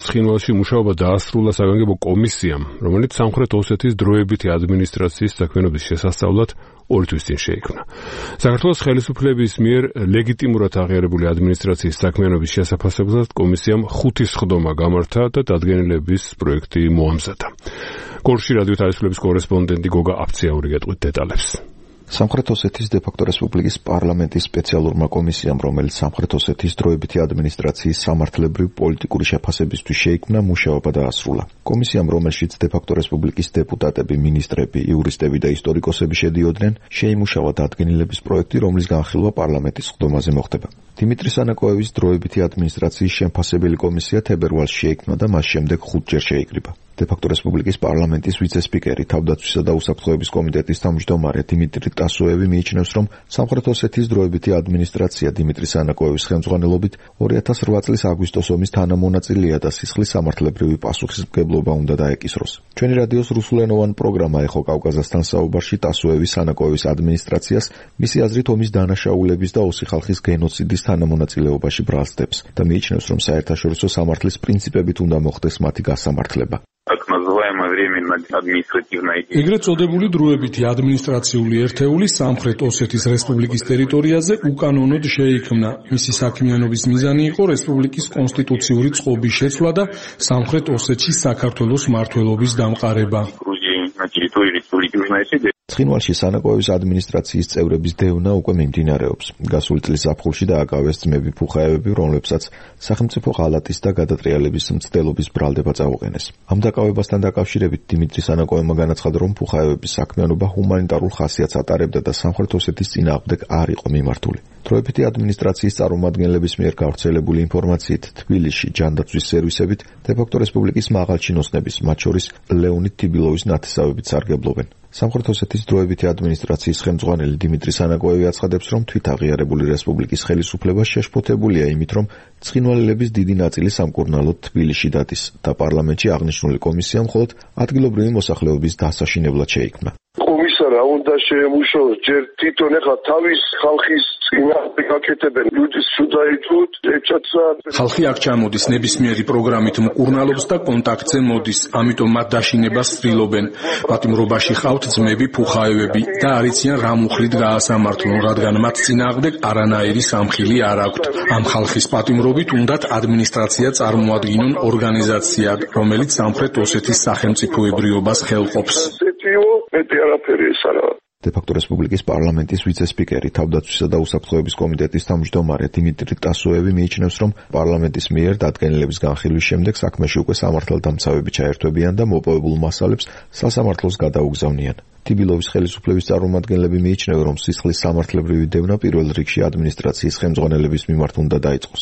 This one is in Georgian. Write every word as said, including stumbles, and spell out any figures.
ცხინვალში მუშაობა დაასრულა საგანგებო კომისიამ, რომელიც სამხრეთ ოსეთის დროებითი ადმინისტრაციის საქმიანობის შესასწავლად ორი თვის წინ შეიქმნა. საქართველოს ხელისუფლების მიერ ლეგიტიმურად აღიარებული ადმინისტრაციის საქმიანობის შესაფასებლად კომისიამ ხუთი სხდომა გამართა და დადგენილების პროექტი მოამზადა. გორში რადიო თავისუფლების კორესპონდენტი გოგა აფციაური გეტყვით დეტალებს. სამხრეთ ოსეთის დე-ფაქტო რესპუბლიკის პარლამენტის სპეციალურმა კომისიამ, რომელიც სამხრეთ ოსეთის დროებითი ადმინისტრაციის სამართლებრივ პოლიტიკური შეფასებისთვის შეიქმნა, მუშაობა დაასრულა. კომისიამ, რომელშიც დე-ფაქტო რესპუბლიკის დეპუტატები, მინისტრები, იურისტები და ისტორიკოსები შედიოდნენ, შეიმუშავა დადგენილების პროექტი, რომლის განხილვა პარლამენტის სხდომაზე მოხდება. დიმიტრი სანაკოევის დროებითი ადმინისტრაციის შემფასებელი კომისია თებერვალში შეიქმნა და მას შემდეგ ხუთჯერ შეიკრიბა. დე-ფაქტო რესპუბლიკის პარლამენტის ვიცე-სპიკერი, თავდაცვისა და უსაფრთხოების კომიტეტის თავმჯდომარე დიმიტრი ტასოევი მიიჩნევს, რომ სამხრეთ ოსეთის დროებითი ადმინისტრაცია დიმიტრი სანაკოევის ხელმძღვანელობით ორი ათას რვა წლის აგვისტოს ომის თანამონაწილეა და სისხლის სამართლებრივი პასუხისმგებლობა უნდა დაეკისროს. ჩვენი რადიოს რუსულენოვან პროგრამა ეხო კავკაზასთან საუბარში ტასოევი სანაკოევის ადმინისტრაციას მისი აზრით ომის დანაშაულების და ოსი ხალხის გენოციდის თანამონაწილეობაში ბრალსდებს და მიიჩნევს, რომ საერთაშორისო სამართლის პრინციპებით უნდა მოხდეს მათი გასამართლება. ეგრეთ წოდებული დროებითი ადმინისტრაციული ერთეული სამხრეთ ოსეთის რესპუბლიკის ტერიტორიაზე უკანონოდ შეიქმნა. მისი საქმიანობის მიზანი იყო რესპუბლიკის კონსტიტუციური წყობის შეცვლა და სამხრეთ ოსეთში საქართველოს მმართველობის დამყარება. ცხინვალში სანაკოევის ადმინისტრაციის წევრების დევნა უკვე მიმდინარეობს. გასული წლის ზაფხულში დააკავეს ძმები ფუხაევები, რომლებსაც სახელმწიფო ღალატის და გადატრიალების მცდელობის ბრალდება წაუყენეს. ამ დაკავებასთან დაკავშირებით დიმიტრი სანაკოევმა განაცხადა, რომ ფუხაევების საქმიანობა ჰუმანიტარულ ხასიათს ატარებდა და სამხრეთ ოსეთის წინააღმდეგ არ იყო მიმართული. დროებითი ადმინისტრაციის წარმომადგენლების მიერ გავრცელებული ინფორმაციით, თბილისში ჯანდაცვის სერვისებით დე-ფაქტო რესპუბლიკის მაღალჩინოსნების, მათ შორის ლეონიდ თიბილოვის ნათესავებით სარგებლობენ. სამხრეთ ოსეთის დროებითი ადმინისტრაციის ხელმძღვანელი დიმიტრი სანაკოევი აცხადებს, რომ თვითაღიარებული რესპუბლიკის ხელისუფლება შეშფოთებულია იმით, რომ ცხინვალელების დიდი ნაწილი სამკურნალოდ თბილისში დადის და პარლამენტში აღნიშნული კომისია მხოლოდ ადგილობრივი მოსახლეობის დასაშინებლად შეიქმნა. კომისარა უნდა შეემუშაოს ჯერ თვითონ ეხლა თავის ხალხის წინააღმდეგ გაკეთებენ ლუდის სუდაითუთ ეჭაცა ხალხი აქ ჩამოდის ნებისმიერი პროგრამით მკურნალობს და კონტაქტზე მოდის, ამიტომ მათ დაშინებას ცდილობენ. პატიმრობაში ხავთ ძმები ფუხაევები და არიციან რა მუხლით გაასამართლონ, რადგან მათ წინააღმდეგ არანაირი სამხილი არ აქვთ. ამ ხალხის პატიმრობით უნდათ ადმინისტრაცია წარმოადგინონ ორგანიზაციად, რომელიც სამხრეთ ოსეთის სახელმწიფოებრიობას ხელყოფს. დე-ფაქტო რესპუბლიკის პარლამენტის ვიცე-სპიკერი, თავდაცვისა და უსაფრთხოების კომიტეტის თავმჯდომარე დიმიტრი ტასოევი მიიჩნევს, რომ პარლამენტის მიერ დადგენილების განხილვის შემდეგ საქმეში უკვე სამართალდამცავები ჩაერთვებიან და მოპოვებულ მასალებს სასამართლოს გადაუგზავნიან. თიბილოვის ხელისუფლების წარმომადგენლები მიიჩნევენ, რომ სისხლის სამართლებრივი დევნა პირველ რიგში ადმინისტრაციის ხელმძღვანელების მიმართ უნდა დაიწყოს.